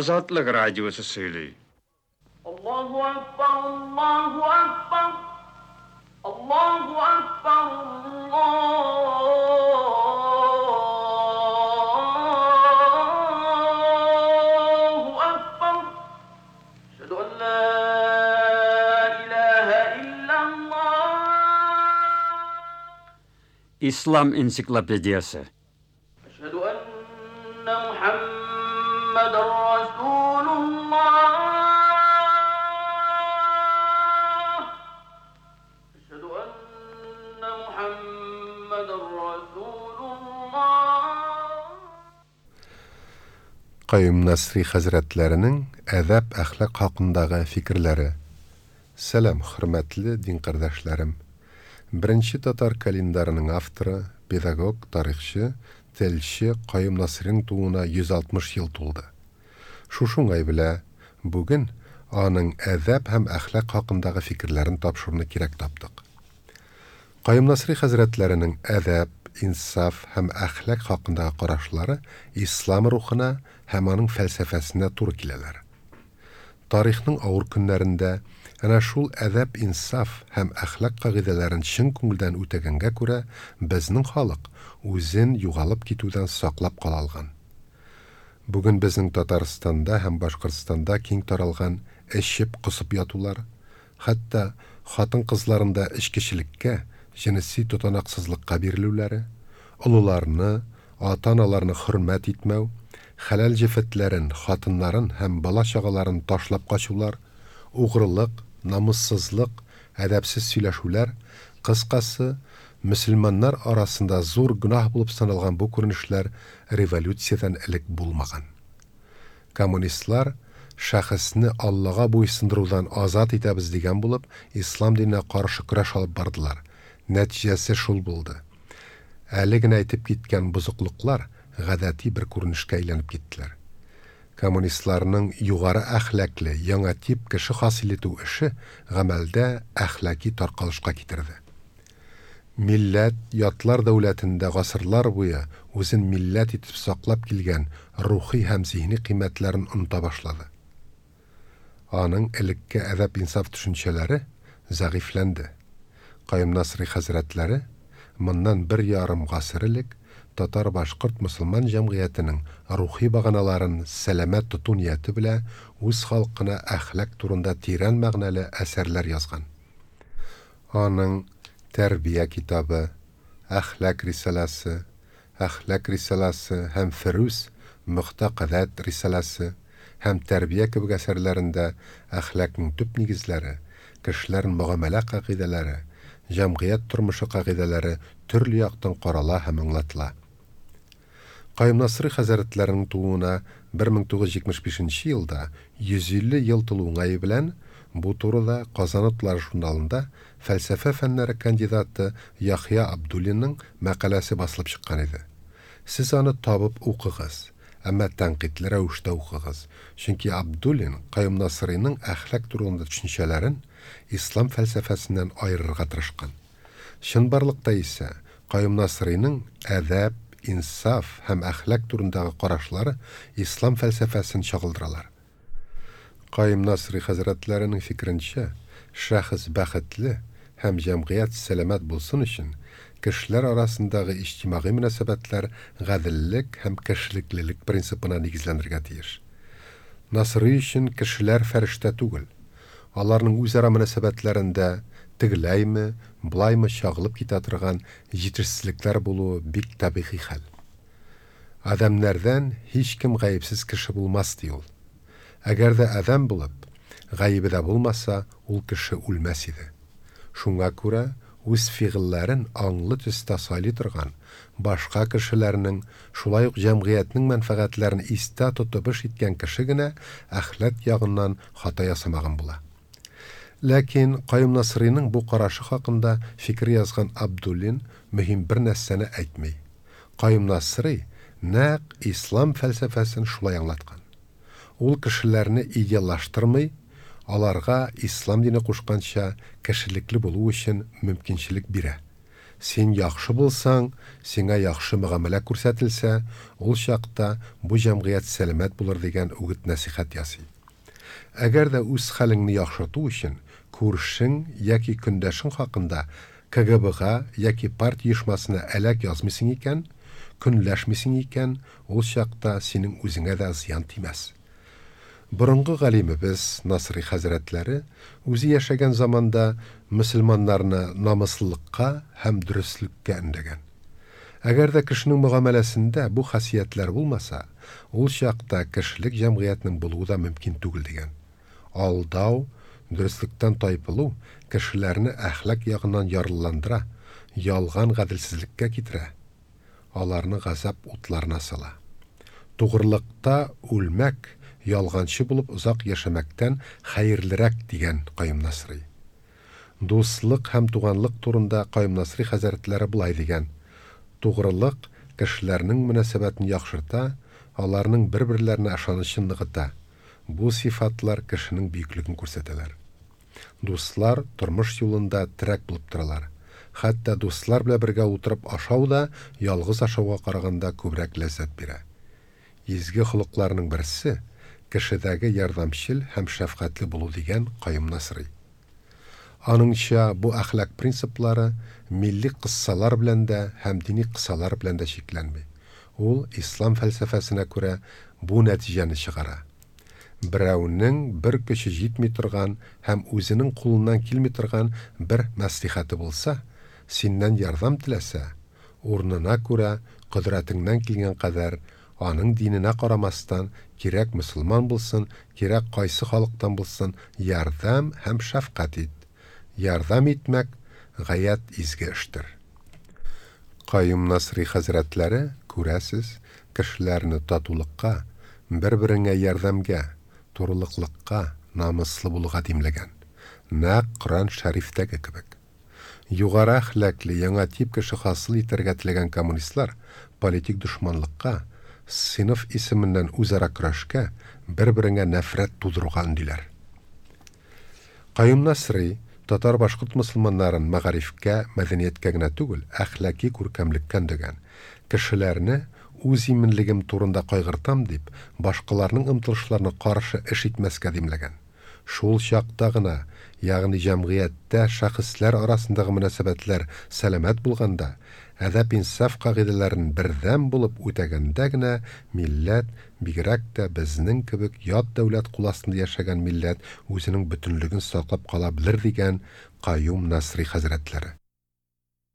Азатлык радиосы сөйли. Аллаһу акбар, Аллаһу акбар, Аллаһу акбар, Аллаһу акбар. Әшһәду ан ла илаһа илляллаһ. Ислам энциклопедиясе. Әшһәду әннә Мухәммәдәр Расулуллаһ. Әшһәду әннә Мухәммәдәр Расулуллаһ. Каюм Насри хәзрәтләренең әдәп-әхлак хакындагы фикерләре. Сәлам, хөрмәтле дин кардәшләрем! Беренче татар календарының авторы, педагог, тарихчы, телче Каюм Насыйриның тууына 160 ел тулды. Шушы уңай белә, бүген аның әдәп һәм әхлак хакындагы фикерләрен тапшыруны кирәк таптык. Каюм Насыйри хәзрәтләренең әдәп, инсаф һәм әхлак хакындагы карашлары ислам рухына һәм аның фәлсәфәсенә туры киләләр. Тарихның авыр көннәрендә әнә шул әдәп-инсаф һәм әхлак кагыйдәләрен чын күңелдән үтәгәнгә күрә безнең халык үзен югалып китүдән саклап кала алган. Бүген безнең Татарстанда һәм Башкортстанда киң таралган эчеп-косып ятулар, хәтта хатын-кызларын да эчкечелеккә, җенеси тотанаксызлыкка бирелүләре, олыларны, ата-аналарны хөрмәт итмәү, хәләл җефетләрен, хатыннарын һәм бала-чагаларын ташлап качулар, угрылык, намуссызлык, әдәпсез сөйләшүләр, кыскасы, мөселманнар арасында зур гөнаһ булып саналган бу күренешләр революциядән элек булмаган. Коммунистлар, шәхесне Аллага буйсындырудан азат итәбез дигән булып, ислам диненә каршы көрәш алып бардылар. Нәтиҗәсе шул булды. Әле генә әйтеп киткән бозыклыклар гадәти бер күренешкә әйләнеп киттеләр. Коммунистларның югары әхлаклы яңа тип кеше хасил итү эше гамәлдә әхлаки таркалышка китерде. Милләт, ятлар дәүләтендә гасырлар буе үзен милләт итеп саклап килгән рухи һәм зиһни кыйммәтләрен оныта башлады. Аның элекке әдәп-инсаф төшенчәләре зәгыйфьләнде. Каюм Насыйри хәзрәтләре моннан бер ярым гасыр элек татар-башкорт мосылман җәмгыятенең рухи баганаларын сәламәт тоту нияте белә үз халкына әхлак турында тирән мәгънәле әсәрләр язган. Аның Тәрбия китабы, Әхлак рисаләсе, Әхлак рисаләсе һәм Ферүз мөгътәкадәт рисаләсе һәм Тәрбия кебек әсәрләрендә әхлакның төп нигезләре, кешеләр мөгамәлә кагыйдәләре, җәмгыять тормышы кагыйдәләре төрле яктан карала һәм аңлатыла. Каюм Насыйри хәзрәтләренең тууына 1975 нче елда 150 ел тулу уңае белән бу турыда Казан утлары журналында фәлсәфә фәннәре кандидаты Яхъя Абдуллинның мәкаләсе басылып чыккан иде. Сез аны табып укыгыз, әмма тәнкыйтьле рәвештә укыгыз, чөнки Абдуллин Каюм Насыйриның әхлак турында төшенчәләрен ислам фәлсәфәсеннән аерырга тырышкан. Чынбарлыкта исә Каюм Насыйриның әдәп, инсаф һәм әхлак турындагы карашлары ислам фәлсәфәсен чагылдыралар. Каюм Насыйри хәзрәтләренең фикеренчә, шәхес бәхетле һәм җәмгыять сәламәт булсын өчен, кешеләр арасындагы иҗтимагый мөнәсәбәтләр гаделлек һәм кешелеклелек принципына нигезләнергә тиеш. Насыйри өчен кешеләр фәрештә түгел. Аларның үзара мөнәсәбәтләрендә тегеләйме, болаймы чагылып китә торган җитешсезлекләр булуы бик табигый хәл. Адәмнәрдән һичкем гаепсез кеше булмас, ди ул. Әгәр дә адәм булып, гаебе дә булмаса, ул кеше үлмәс иде. Шуңа күрә үз фигыльләрен аңлы төстә сайлый торган, башка кешеләрнең, шулай ук җәмгыятьнең мәнфәгатьләрен истә тотып эш иткән кеше генә әхлак ягыннан хата ясамаган була. Ләкин Каюм Насыйриның бу карашы хакында фикер язган Абдуллин мөһим бер нәрсәне әйтми. Каюм Насыйри нәкъ ислам фәлсәфәсен шулай аңлаткан. Ул кешеләрне идеаллаштырмый, аларга ислам дине кушканча кешелекле булу өчен мөмкинчелек бирә. Син яхшы булсаң, сиңа яхшы мөгамәлә күрсәтелсә, ул чакта бу җәмгыять сәламәт булыр дигән үгет-нәсыйхәт ясый. Әгәр дә үз хәлеңне яхшырту өчен күршең яки көндәшең хакында КГБга яки партия оешмасына әләк язмыйсың икән, көнләшмисең икән, ул чакта синең үзеңә дә зыян тимәс. Борынгы галимебез Насрый хәзрәтләре үзе яшәгән заманда мөселманнарны намуслылыкка һәм дөреслеккә өндәгән. Әгәр дә кешенең мөгамәләсендә бу хасиятләр булмаса, ул чакта кешелек җәмгыятенең булуы да мөмкин түгел дигән. Алдау, дөреслектән тайпылу кешеләрне әхлак ягыннан ярлыландыра, ялган гаделсезлеккә китерә, аларны газап утларына сала. Тугрылыкта үлмәк, ялганчы булып озак яшәмәктән хәерлерәк, дигән Каюм Насрый. Дуслык һәм туганлык турында Каюм Насри хәзрәтләре болай дигән, Тугрылык кешеләрнең мөнәсәбәтен яхшырта, аларның бер-берләренә ышанычын ныгыта. Бу сыйфатлар кешенең бөеклеген күрсәтәләр. Дуслар тормыш юлында терәк булып торалар. Хәтта дуслар белән бергә утырып ашау да ялгыз ашауга караганда күбрәк ләззәт бирә. Изге холыкларның берсе, кешедәге ярдәмчел һәм шәфкатьле булу дигән Каюм Насрый. Аныңча, бу әхлак принциплары милли кыссалар белән дә һәм дини кысалар белән дә чикләнми. Ул, ислам фәлсәфәсенә күрә, бу нәтиҗәне чыгара. Берәүнең бер көче җитми торган һәм үзенең кулыннан килми торган бер мәслихәте булса, синнән ярдәм теләсә, урынына күрә, кодрәтеңнән килгән кадәр, аның диненә карамастан, кирәк мөселман булсын, кирәк кайсы халыктан булсын, ярдәм һәм шәфкать ит. Ярдәм итмәк, гаять изге эштер. Каюм Насри хәзрәтләре, күрәсез, кешеләрне татулыкка, бер-береңә ярдәмгә, турылыклыкка, намуслы булуга димләгән. Нәкъ Коръән Шәрифтәге кебек. Югары әхлаклы яңа тип кеше хасил итәргә теләгән коммунистлар политик дошманлыкка, сыйныф исеменнән үзара көрәшкә, бер-береңә нәфрәт тудыруга өндиләр. Каюм Насри татар-башкорт мөселманнарын мәгарифкә, мәдәнияткә генә түгел, әхлаки күркәмлеккә өндәгән, кешеләрне үз иминлегем турында кайгыртам дип, башкаларның омтылышларына каршы эш итмәскә димләгән. Шул чакта гына, ягъни җәмгыятьтә шәхесләр арасындагы мөнәсәбәтләр сәламәт булганда, әдәп-инсаф кагыйдәләрен бердәм булып үтәгәндә генә милләт, бигрәк тә безнең кебек ят дәүләт кул астында яшәгән милләт үзенең бөтенлеген саклап кала белер дигән Каюм Насри хәзрәтләре.